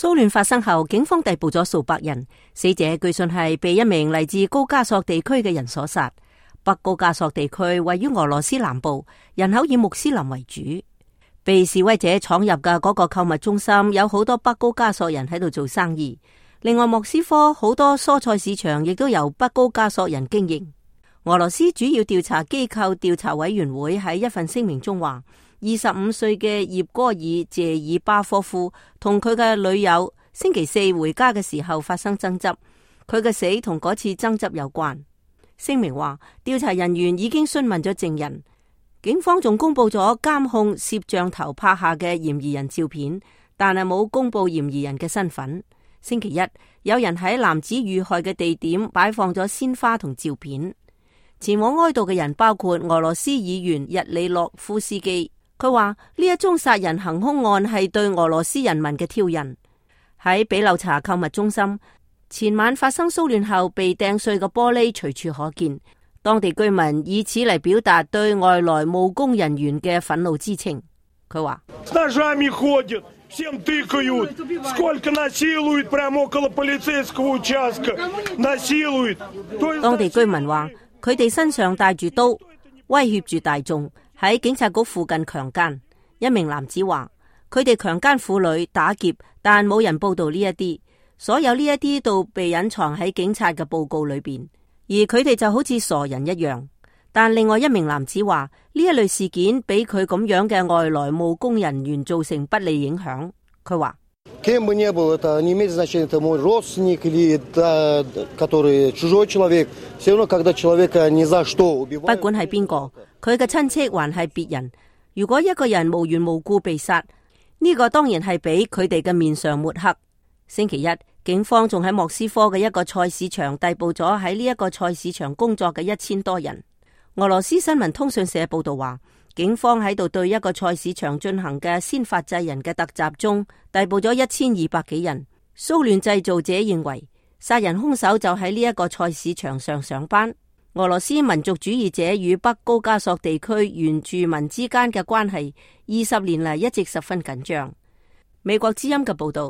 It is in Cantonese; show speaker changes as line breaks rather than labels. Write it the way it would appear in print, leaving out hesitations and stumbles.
騷亂發生後，警方逮捕咗數百人，死者據信係被一名嚟自高加索地區嘅人所殺。北高加索地區位於俄羅斯南部，人口以穆斯林為主。被示威者闖入嘅嗰個購物中心，有好多北高加索人喺度做生意。另外，莫斯科好多蔬菜市場亦都由北高加索人經營。俄羅斯主要調查機構調查委員會喺一份聲明中話，25歲嘅葉戈爾謝爾巴科夫同佢嘅女友星期四回家嘅時候發生爭執，佢嘅死同嗰次爭執有關。聲明話，調查人員已經詢問咗證人，警方仲公布咗監控攝像頭拍下嘅嫌疑人照片，但係冇公布嫌疑人嘅身份。星期一，有人喺男子遇害嘅地點擺放咗鮮花同照片。前往哀悼嘅人包括俄羅斯議員日里諾夫斯基。佢話呢一宗殺人行兇案係對俄羅斯人民嘅挑釁。喺比柳查購物中心，前晚發生騷亂後被掟碎嘅玻璃隨處可見。當地居民以此嚟表達對外來務工人員嘅憤怒之情。佢話當地居民話佢哋身上帶住刀，威脅住大眾，喺警察局附近強姦。一名男子話佢哋強姦婦女、打劫，但冇人報道呢一啲，所有呢一啲都被隱藏喺警察嘅報告裏邊，而佢哋就好似傻人一樣。但另外一名男子話呢一類事件俾佢咁樣嘅外來務工人員造成不利影響。佢話不管係邊個，佢嘅親戚還係別人，如果一個人無緣無故被殺，呢個當然係俾佢哋嘅面上抹黑。星期一，警方仲喺莫斯科嘅一個菜市場逮捕咗喺呢一個菜市場工作嘅1000多人。俄羅斯新聞通訊社報道話，警方喺度對一個菜市場進行嘅先發制人嘅突襲中，逮捕咗1200幾人。騷亂製造者認為殺人兇手就喺呢一個菜市場上上班。俄羅斯民族主義者與北高加索地區原住民之間嘅關係20年嚟一直十分緊張。美國之音嘅報道。